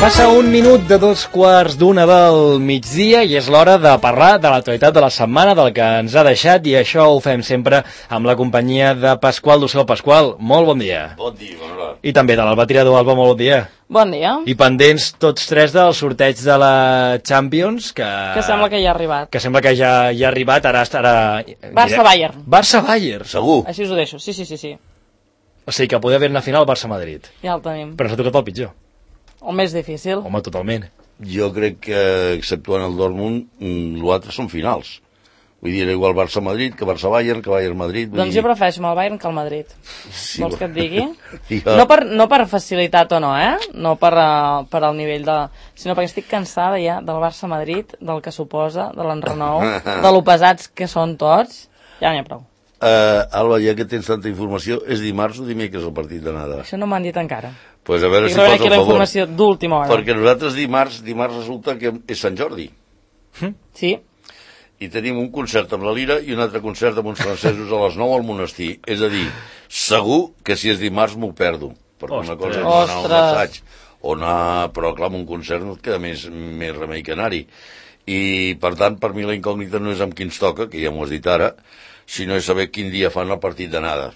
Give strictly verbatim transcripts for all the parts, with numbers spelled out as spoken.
Passa un minut de dos quarts d'una del migdia i és l'hora de parlar de l'actualitat de la setmana, del que ens ha deixat, i això ho fem sempre amb la companyia de Pasqual Dussel. Pasqual, molt bon dia. Bon dia, bona hora. I també de l'Alba Tirador. Alba, molt bon dia. Bon dia. I pendents tots tres del sorteig de la Champions, que... Que sembla que ja ha arribat. Que sembla que ja, ja ha arribat, ara estarà... Barça-Bayern. Barça-Bayern. Segur. Així us ho deixo, sí, sí, sí. sí. O sigui que podria haver una final Barça-Madrid. Ja el tenim. Però s'ha tocat el pitjor. O més difícil. Home, totalment. Jo crec que, exceptuant el Dortmund, l'altre són finals. Vull dir, era igual Barça-Madrid que Barça-Bayern, que Bayern-Madrid. Doncs dir... jo prefereixo el Bayern que el Madrid. Sí, Vols que et digui? jo... No, per, no per facilitat o no, eh? No per, uh, per al nivell de... Sinó perquè estic cansada ja del Barça-Madrid, del que suposa, de l'enrenou, de lo pesats que són tots. Ja n'hi ha prou. Uh, Alba, ja que tens tanta informació, és dimarts o dimecres el partit d'anada? Això no m'han dit encara. Pues a veure I si fas el la favor. informació d'última hora. Perquè nosaltres dimarts, dimarts resulta que és Sant Jordi. Sí. I tenim un concert amb la Lira i un altre concert amb uns francesos a les nou al monestir. És a dir, segur que si és dimarts m'ho perdo. Perquè una cosa és anar a un assaig o anar, però clar, amb un concert no et queda més, més remei que anar-hi. I per tant, per mi la incògnita no és amb qui ens toca, que ja m'ho has dit ara, sinó és saber quin dia fan el partit d'anada.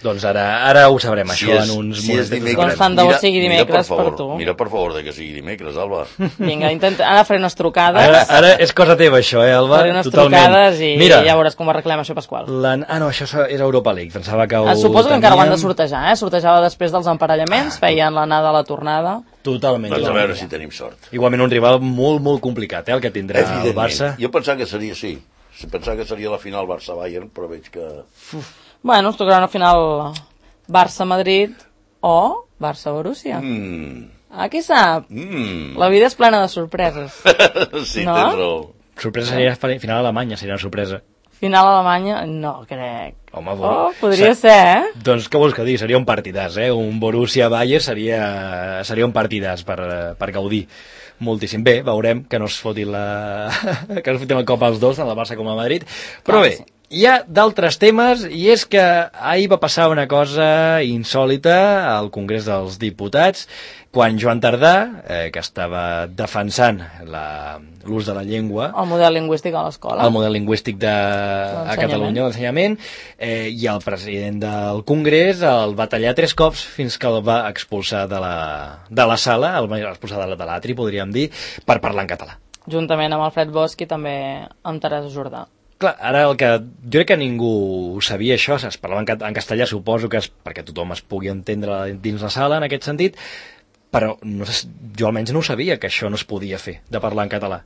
Doncs ara, ara ho sabrem, si això, és, en uns si moments. Doncs tant de bo sigui dimecres per, favor, per tu. Mira, per favor, de que sigui dimecres, Alba. Vinga, intenta, ara faré unes trucades. Ara, ara és cosa teva, això, eh, Alba? Faré unes Totalment. trucades i Mira, ja veuràs com ho arreglem, això, Pasqual. La... Ah, no, això és Europa League, pensava que ho ah, Suposo que teníem... encara ho han de sortejar, eh? Sortejava després dels emparellaments, ah, feien l'anada a la tornada. Totalment. Doncs a totalment. veure si tenim sort. Igualment un rival molt, molt complicat, eh, el que tindrà el Barça. Jo pensava que seria, sí, pensava que seria la final Barça-Bayern, però veig que... Uf. Bueno, es tocarà una final Barça-Madrid o Barça-Borussia. Mm. Ah, qui sap? Mm. La vida és plena de sorpreses. Sí, no? tens raó. Sorpresa seria final Alemanya, seria una sorpresa. Final Alemanya? No, crec. Home, oh, podria ser, eh? Doncs què vols que digui? Seria un partidàs, eh? Un Borussia-Bayern seria, seria un partidàs per, per gaudir moltíssim. Bé, veurem que no es fotin la... que no es fotin el cop als dos, tant el Barça com el Madrid. Però bé, hi ha d'altres temes, i és que ahir va passar una cosa insòlita al Congrés dels Diputats, quan Joan Tardà, eh, que estava defensant l'ús de la llengua... El model lingüístic a l'escola. El model lingüístic de, a Catalunya, l'ensenyament, eh, i el president del Congrés el va tallar tres cops fins que el va expulsar de la, de la sala, el va expulsar de l'atri, podríem dir, per parlar en català. Juntament amb Alfred Bosch i també amb Teresa Jordà. Clar, ara el que... Jo crec que ningú sabia això, es parlava en, en castellà, suposo que és perquè tothom es pugui entendre dins la sala, en aquest sentit, però no sé, jo almenys no ho sabia, que això no es podia fer, de parlar en català.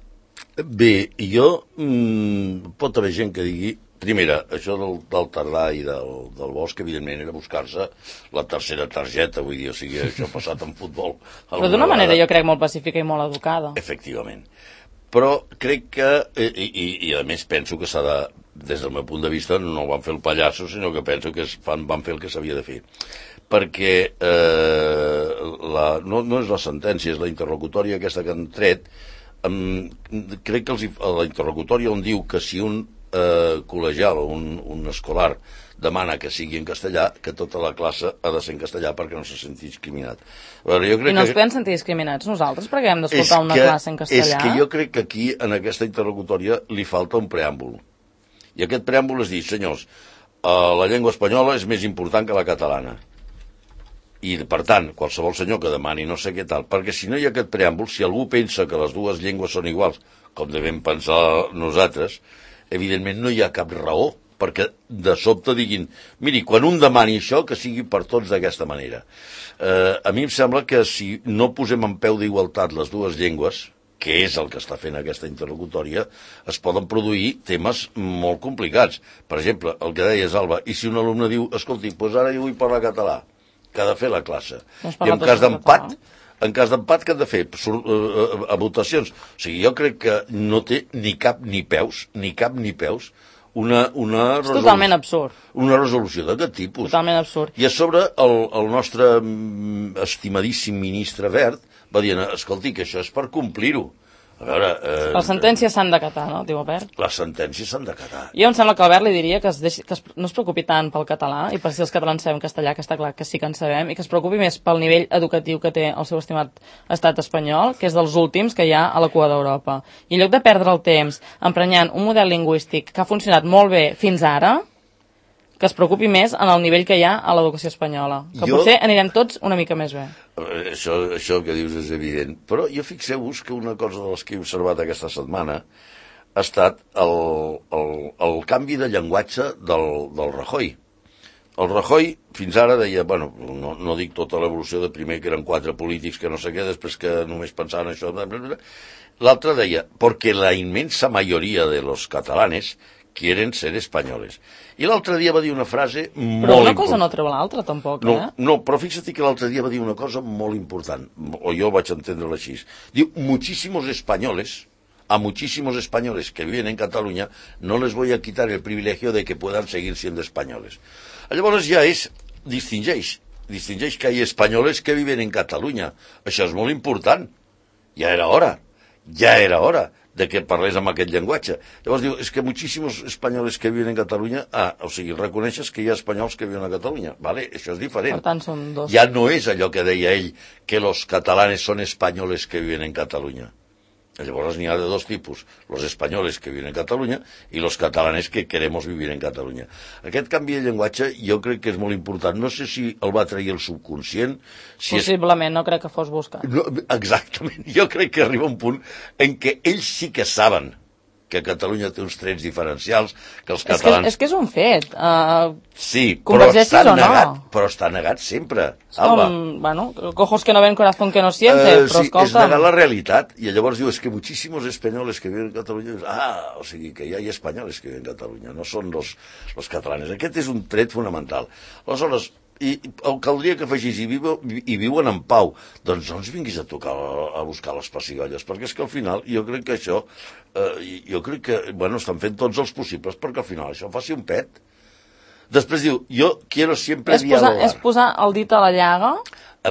Bé, jo... Mmm, pot haver gent que digui... Primera, això del, del Tardà i del, del Bosch, evidentment, era buscar-se la tercera targeta, vull dir, o sigui, això ha passat en futbol. Però d'una manera, jo crec, molt pacífica i molt educada. Efectivament. Però crec que, i, i, i a més penso que s'ha de, des del meu punt de vista, no van fer el pallasso, sinó que penso que es fan, van fer el que s'havia de fer. Perquè eh, la, no, no és la sentència, és la interlocutòria aquesta que han tret. Um, crec que els, la interlocutòria on diu que si un eh, col·legial o un, un escolar demana que sigui en castellà, que tota la classe ha de ser en castellà perquè no se senti discriminat. Veure, jo crec I no que... ens podem sentir discriminats nosaltres perquè hem d'escoltar una que, classe en castellà? És que jo crec que aquí, en aquesta interlocutòria, li falta un preàmbul. I aquest preàmbul és dir, senyors, eh, la llengua espanyola és més important que la catalana. I, per tant, qualsevol senyor que demani no sé què tal, perquè si no hi ha aquest preàmbul, si algú pensa que les dues llengües són iguals, com devem pensar nosaltres, evidentment no hi ha cap raó perquè de sobte diguin, miri, quan un demani això, que sigui per tots d'aquesta manera. Eh, a mi em sembla que si no posem en peu d'igualtat les dues llengües, que és el que està fent aquesta interlocutòria, es poden produir temes molt complicats. Per exemple, el que deies, Alba, i si un alumne diu, escolti, doncs ara jo vull parlar català, que ha de fer la classe. I en cas d'empat, en cas d'empat, què han de fer? A votacions. O sigui, jo crec que no té ni cap ni peus, ni cap ni peus, una, una és totalment absurd. Una resolució d'aquest tipus. Totalment absurd. I a sobre el, el nostre estimadíssim ministre Wert va dir, escolti, que això és per complir-ho. A veure... Eh, les sentències s'han d'acatar, no? Diu Albert. Les sentències s'han d'acatar. Jo em sembla que Albert li diria que, es deixi, que es, no es preocupi tant pel català i per si els catalans sabem castellà, que està clar que sí que en sabem, i que es preocupi més pel nivell educatiu que té el seu estimat estat espanyol, que és dels últims que hi ha a la cua d'Europa. I en lloc de perdre el temps emprenyant un model lingüístic que ha funcionat molt bé fins ara, que es preocupi més en el nivell que hi ha a l'educació espanyola. Que jo... potser anirem tots una mica més bé. Això, això que dius és evident. Però jo fixeu-vos que una cosa de les que he observat aquesta setmana ha estat el, el, el canvi de llenguatge del, del Rajoy. El Rajoy fins ara deia, bueno, no, no dic tota l'evolució de primer que eren quatre polítics que no sé què, després que només pensaven això... L'altre deia, perquè la immensa majoria de los catalanes quieren ser espanyoles. I l'altre dia va dir una frase molt important. Però una cosa no treu l'altra, tampoc, no, eh? No, però fixa't que l'altre dia va dir una cosa molt important, o jo vaig entendre-la així. Diu, muchísimos españoles, a muchísimos españoles que viven en Cataluña, no les voy a quitar el privilegio de que puedan seguir siendo españoles. Llavors ja és, distingeix, distingeix que hi ha espanyoles que viven en Catalunya. Això és molt important. Ja era hora, ja era hora de que parlés amb aquest llenguatge. Llavors diu, és que moltíssims espanyols que viuen en Catalunya, ah, o sigui, reconeixes que hi ha espanyols que viuen a Catalunya, vale? Això és diferent. Per tant, són dos. Ja no és allò que deia ell, que los catalanes són espanyoles que viuen en Catalunya. Llavors n'hi ha de dos tipus, los españoles que viven en Catalunya i los catalanes que queremos vivir en Catalunya. Aquest canvi de llenguatge jo crec que és molt important. No sé si el va trair el subconscient. Si Possiblement, és... no crec que fos buscat. No, exactament, jo crec que arriba un punt en què ells sí que saben que Catalunya té uns trets diferencials, que els catalans... És que és, que és un fet. Uh, sí, però està negat, no? Però està negat sempre. És com, bueno, cojos que no ven, corazón que no siente, uh, però sí, escolta... És negar la realitat, i llavors diu, és que moltíssimos espanyoles que viven en Catalunya... Ah, o sigui, que ja hi ha espanyoles que viven en Catalunya, no són los, los catalanes. Aquest és un tret fonamental. Aleshores, i el caldria que afegís i, viu, i viuen en pau, doncs no ens vinguis a tocar a buscar les pessigolles, perquè és que al final jo crec que això eh, jo crec que, bueno, estan fent tots els possibles perquè al final això faci un pet. Després diu, jo quiero siempre és posar, dialogar. És posar el dit a la llaga.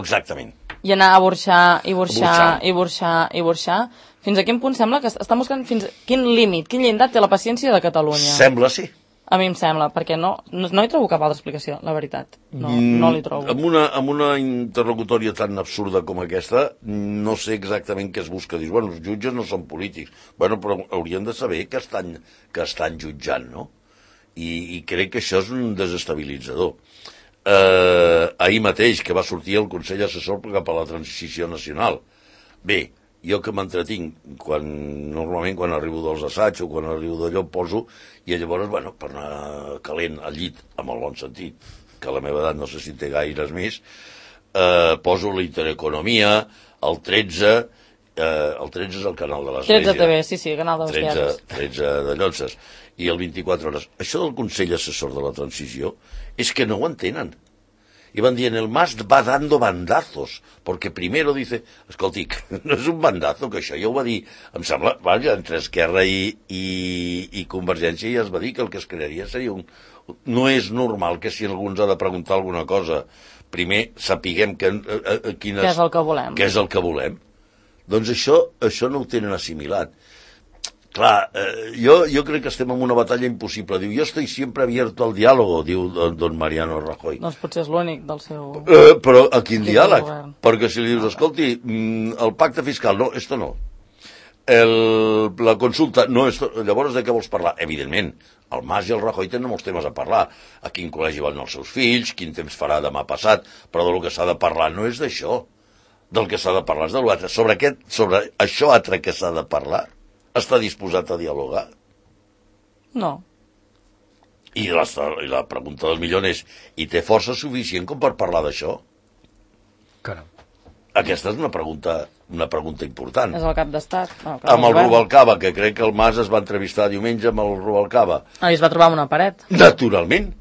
Exactament. I anar a burxar, i burxar, i burxar, i burxar. Fins a quin punt sembla que estan buscant fins a quin límit, quin llindar té la paciència de Catalunya? Sembla, sí. A mi em sembla, perquè no, no, no hi trobo cap altra explicació, la veritat. No, no li trobo. Amb una, amb una interlocutòria tan absurda com aquesta, no sé exactament què es busca. Dius, bueno, els jutges no són polítics. Bueno, però haurien de saber que estan, que estan jutjant, no? I, i crec que això és un desestabilitzador. Eh, ahir mateix, que va sortir el Consell Assessor cap a la Transició Nacional. Bé, jo que m'entretinc, quan, normalment quan arribo dels assaigs o quan arribo d'allò poso, i llavors, bueno, per anar calent al llit, amb el bon sentit, que a la meva edat no sé si té gaires més, eh, poso la Intereconomia, el tretze, eh, el tretze és el canal de l'Església. tretze T V, sí, sí, canal de l'Església. tretze de Llotses. I el vint-i-quatre hores. Això del Consell Assessor de la Transició és que no ho entenen. Y van dient, el Mas va dando bandazos, porque primero dice, escolti, no és un bandazo, que això ja ho va dir, em sembla, vaja, entre Esquerra i, i, i Convergència ja es va dir que el que es crearia seria un... No és normal que si algú ens ha de preguntar alguna cosa, primer sapiguem que, a, a, a quines, què és el que volem. Què és el que volem. Doncs això, això no ho tenen assimilat. Clar, eh, jo, jo crec que estem en una batalla impossible. Diu, jo estoy siempre abierto al diálogo, diu don, don Mariano Rajoy. Doncs potser és l'únic del seu... Eh, però a quin diàleg? Perquè si li dius, escolti, el pacte fiscal, no, esto no. El, la consulta, no, esto, llavors de què vols parlar? Evidentment, el Mas i el Rajoy tenen molts temes a parlar. A quin col·legi van els seus fills, quin temps farà demà passat, però del que s'ha de parlar no és d'això. Del que s'ha de parlar és de l'altre. Sobre, aquest, sobre això altre que s'ha de parlar, està disposat a dialogar? No. I la, i la pregunta del milió és, i té força suficient com per parlar d'això? Caram. Aquesta és una pregunta, una pregunta important. És el cap d'estat. No, amb el Rubalcaba, que crec que el Mas es va entrevistar diumenge amb el Rubalcaba. Ah, i es va trobar amb una paret. Naturalment.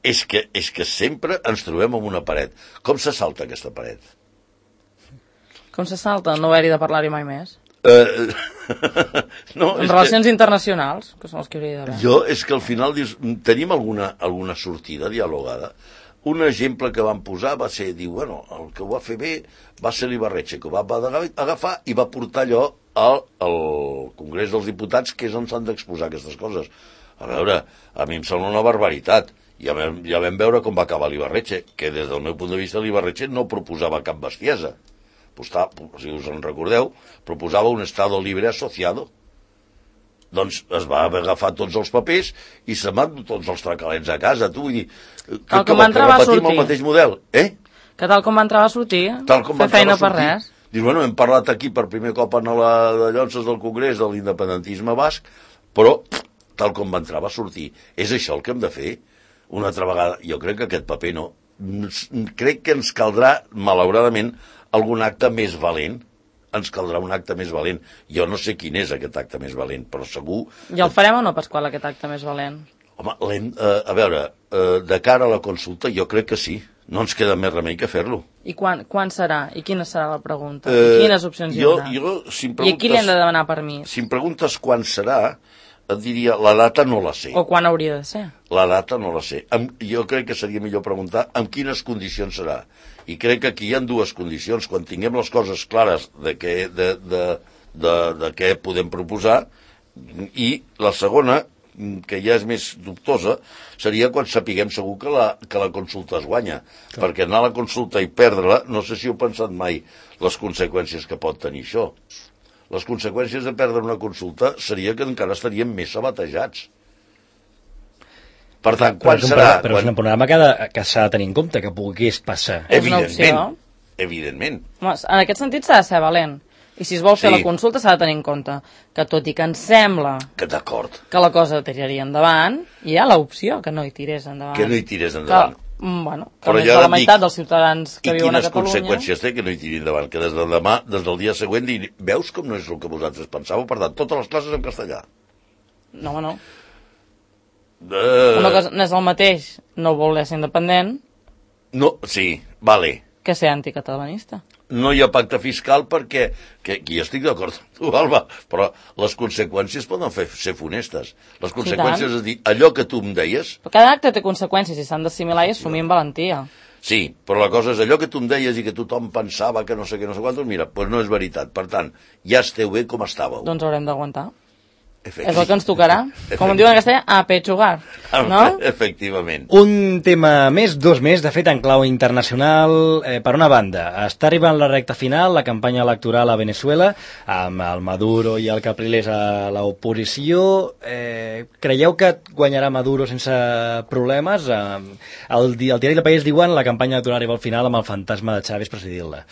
És que, és que sempre ens trobem amb una paret. Com se salta aquesta paret? Com se salta? No haver-hi de parlar-hi mai més. Uh, no, en relacions que, internacionals, que són els que hauria d'haver. Jo, és que al final dius, tenim alguna, alguna sortida dialogada? Un exemple que van posar va ser, diu, bueno, el que ho va fer bé va ser l'Ibarretxe, que ho va agafar i va portar allò al, al Congrés dels Diputats, que és on s'han d'exposar aquestes coses. A veure, a mi em sembla una barbaritat. Ja vam, ja vam veure com va acabar l'Ibarretxe, que des del meu punt de vista l'Ibarretxe no proposava cap bestiesa. Postà, si us en recordeu, proposava un estado libre asociado. Doncs es va agafar tots els papers i se'n van tots els tracalets a casa. Tu vull dir, que, que, que repetim el mateix model, eh? Que tal com va entrar va sortir, tal com fer feina per sortir. res. Dius, bueno, hem parlat aquí per primer cop en la de llonces del Congrés de l'independentisme basc, però tal com va entrar va sortir. És això el que hem de fer una altra vegada. Jo crec que aquest paper no. Crec que ens caldrà, malauradament, algun acte més valent. Ens caldrà un acte més valent. Jo no sé quin és aquest acte més valent, però segur... I el farem o no, Pasqual, aquest acte més valent? Home, eh, a veure, eh, de cara a la consulta jo crec que sí. No ens queda més remei que fer-lo. I quan, quan serà? I quina serà la pregunta? Eh, I quines opcions hi haurà? Jo, jo, si I a qui li hem de demanar permís? Si em preguntes quan serà, et diria, la data no la sé. O quan hauria de ser? La data no la sé. Amb, jo crec que seria millor preguntar en quines condicions serà. I crec que aquí hi ha dues condicions. Quan tinguem les coses clares de què, de, de, de, de què podem proposar, i la segona, que ja és més dubtosa, seria quan sapiguem segur que la, que la consulta es guanya. Clar. Perquè anar a la consulta i perdre-la, no sé si heu pensat mai les conseqüències que pot tenir això. Les conseqüències de perdre una consulta seria que encara estaríem més sabatejats. Per tant, quan serà? Però és un panorama que, de, que s'ha de tenir en compte, que pogués passar. Evidentment, evidentment. Home, en aquest sentit s'ha de ser valent. I si es vol fer sí. la consulta s'ha de tenir en compte que tot i que ens sembla que, que la cosa tiraria endavant, hi ha l'opció que no hi tirés endavant. Que no hi tirés endavant. Que, bueno, que més de la meitat dic, dels ciutadans que viuen a Catalunya... I quines conseqüències té que no hi tiri endavant? Que des del demà, des del dia següent, dir, veus com no és el que vosaltres pensàveu? Per tant, totes les classes en castellà. No, home, no. Uh... Una cosa no és el mateix no voler ser independent... No, sí, vale. Que ser anticatalanista. No hi ha pacte fiscal perquè, que aquí estic d'acord amb tu, Alba, però les conseqüències poden fer, ser funestes. Les conseqüències sí, és dir, allò que tu em deies... Però cada acte té conseqüències i s'han d'assimilar i assumir amb valentia. Sí, però la cosa és allò que tu em deies i que tothom pensava que no sé què, no sé quantos, mira, doncs no és veritat. Per tant, ja esteu bé com estàveu. Doncs haurem d'aguantar. És el que ens tocarà. Com en diuen en castellà, a pechugar, no? Efectivament. Un tema més, dos més, de fet en clau internacional. Eh, per una banda, està arribant la recta final, la campanya electoral a Venezuela, amb el Maduro i el Capriles a l'oposició. Eh, creieu que guanyarà Maduro sense problemes? Eh, el, el diari del País diuen la campanya electoral arriba al final amb el fantasma de Chávez presidint-la.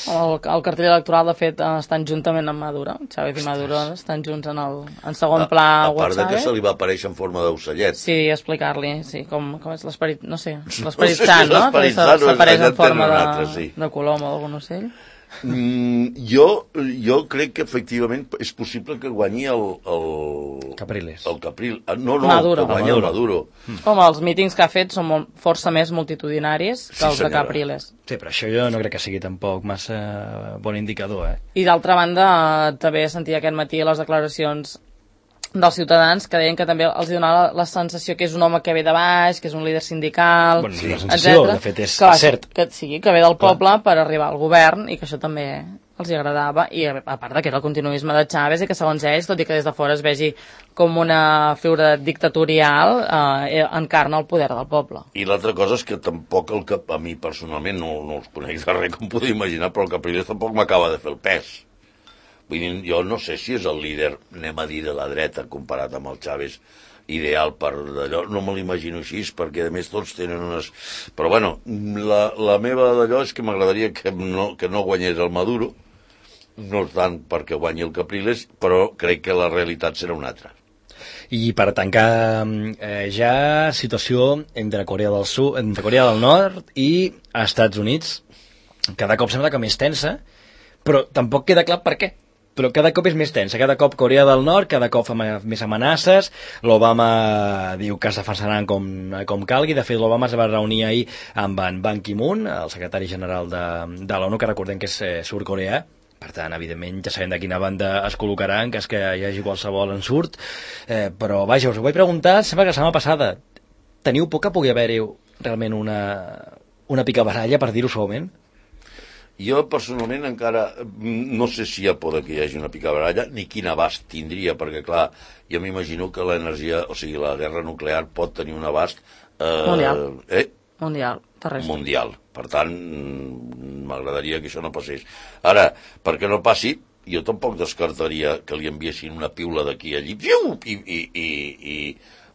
El, el cartell electoral, de fet, estan juntament amb Maduro. Chávez i Maduro estan junts en el... En segon pla a, a part de que se li va aparèixer en forma d'ocellet. Sí, explicar-li, sí, com, com és l'esperit, no sé, l'esperit no sé sant, si no? L'esperit sant s'apareix en forma de, altre, sí. de colom o d'algun ocell. Mm, jo, jo crec que efectivament és possible que guanyi el... el Capriles. El Capriles. No, no, Maduro. que guanyi el Maduro. Mm. Home, els mítings que ha fet són molt, força més multitudinaris que els sí, de Capriles. Sí, però això jo no crec que sigui tampoc massa bon indicador, eh? I d'altra banda, també sentia aquest matí les declaracions dels ciutadans que deien que també els donava la, la sensació que és un home que ve de baix, que és un líder sindical, bueno, sí, la sensació, etcètera. De fet, és que, cert. Que, sí, que ve del poble Clar. Per arribar al govern i que això també els hi agradava, i a part de que era el continuisme de Chávez i que segons ells, tot i que des de fora es vegi com una figura dictatorial, eh, encarna el poder del poble. I l'altra cosa és que tampoc, el que a mi personalment no, no els conec de res, com podeu imaginar, però el Capriles tampoc m'acaba de fer el pes. Vull dir, jo no sé si és el líder, anem a dir, de la dreta comparat amb el Chávez ideal per d'allò, no me l'imagino així, perquè a més tots tenen unes... Però bueno, la, la meva d'allò és que m'agradaria que no, que no guanyés el Maduro, no tant perquè guanyi el Capriles, però crec que la realitat serà una altra. I per tancar eh, ja situació entre Corea del Sud, entre Corea del Nord i Estats Units, cada cop sembla que més tensa, però tampoc queda clar per què. Però cada cop és més tensa, cada cop Corea del Nord, cada cop fa més amenaces, l'Obama diu que es defensaran com, com calgui, de fet l'Obama es va reunir ahir amb en Ban Ki-moon, el secretari general de, de l'ONU, que recordem que és eh, sud-coreà, per tant, evidentment, ja sabem de quina banda es col·locarà, en cas que hi hagi qualsevol ensurt, eh, però vaja, us ho vaig preguntar, sembla que la setmana passada, teniu por que pugui haver-hi realment una, una picabaralla, per dir-ho suaument? Jo, personalment, encara no sé si hi ha por que hi hagi una picabaralla, ni quin abast tindria, perquè, clar, jo m'imagino que l'energia, o sigui, la guerra nuclear pot tenir un abast... Eh, Mundial. Eh? Mundial, terrestre. Mundial. Per tant, m'agradaria que això no passés. Ara, perquè no passi, jo tampoc descartaria que li enviessin una piula d'aquí allí, i, i, i, i,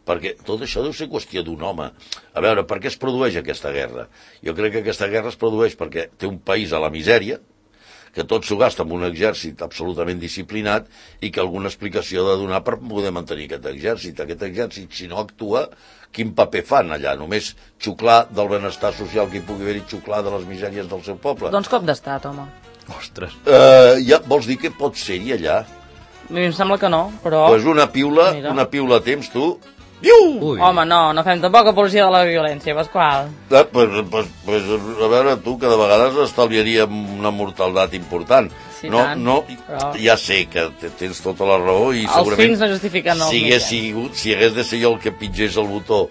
perquè tot això deu ser qüestió d'un home. A veure, per què es produeix aquesta guerra? Jo crec que aquesta guerra es produeix perquè té un país a la misèria, que tot s'ho gasta amb un exèrcit absolutament disciplinat i que alguna explicació ha de donar per poder mantenir aquest exèrcit. Aquest exèrcit, si no actua, quin paper fan allà? Només xuclar del benestar social que hi pugui haver i xuclar de les misèries del seu poble? Doncs cop d'estat, home. Ostres. Uh, ja, vols dir que pot ser-hi allà? A mi em sembla que no, però... Doncs pues una piula, Mira. una piula a temps, tu... Viu! Ui. Home, no, no fem tampoc apologia de la violència, Pasqual. Ah, pues, pues, pues, a veure, tu, que de vegades estalviaríem una mortaldat important. Sí, no, tant, no, però... Ja sé que tens tota la raó i els segurament... fins no justifiquen els si hagués, sigut, si hagués de ser jo el que pitgés el botó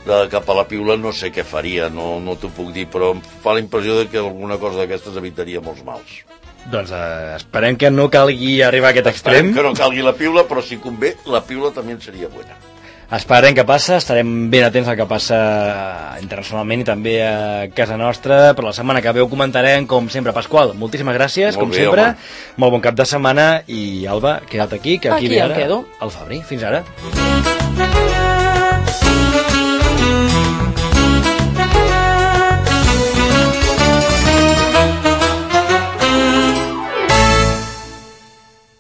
de cap a la piula, no sé què faria, no, no t'ho puc dir, però em fa la impressió de que alguna cosa d'aquestes evitaria molts mals. Doncs eh, esperem que no calgui arribar a aquest extrem. Esperem que no calgui la piula, però si convé, la piula també seria bona. Esperem què passa, estarem ben atents al que passa internacionalment i també a casa nostra. Per la setmana que ve ho comentarem, com sempre. Pasqual, moltíssimes gràcies, Molt com bé, sempre. home. Molt bon cap de setmana i Alba, queda't aquí, que aquí, Aquí ve em ara quedo. el Fabri. Fins ara.